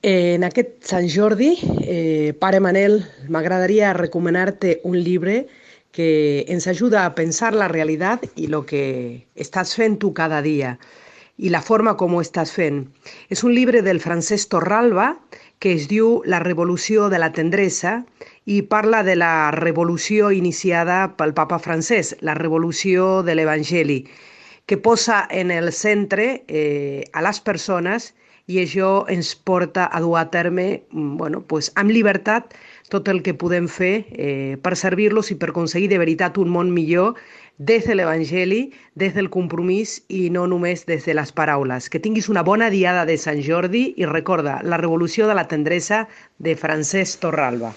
En aquest Sant Jordi, pare Manel, m'agradaria recomanar-te un llibre que ens ajuda a pensar la realitat i el que estàs fent tu cada dia i la forma com ho estàs fent. És un llibre del Francesc Torralba que es diu La revolució de la tendresa i parla de la revolució iniciada pel papa Francesc, la revolució de l'Evangeli, que posa en el centre a les persones i això ens porta a dur a terme, bueno, pues, amb llibertat tot el que podem fer per servir-los i per aconseguir de veritat un món millor des de l'Evangeli, des del compromís i no només des de les paraules. Que tinguis una bona diada de Sant Jordi i recorda, la revolució de la tendresa de Francesc Torralba.